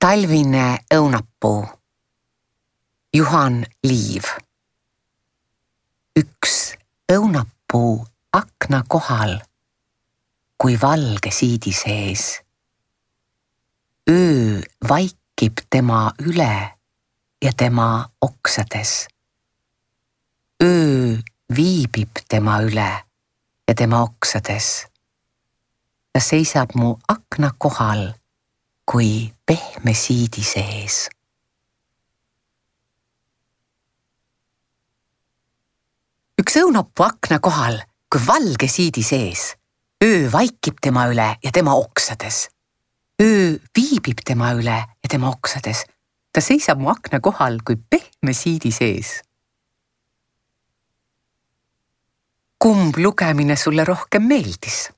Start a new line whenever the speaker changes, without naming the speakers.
Talvine õunapuu. Juhan Liiv. Üks õunapuu akna kohal, kui valge siidi sees. Öö vaikib tema üle ja tema oksades. Öö viibib tema üle ja tema oksades. Ta seisab mu akna kohal, kui pehme siidi sees. Üks õunapuu akna kohal, kui valge siidi sees. Öö vaikib tema üle ja tema oksades. Öö viibib tema üle ja tema oksades. Ta seisab mu akna kohal, kui pehme siidi sees. Kumb lugemine sulle rohkem meeldis?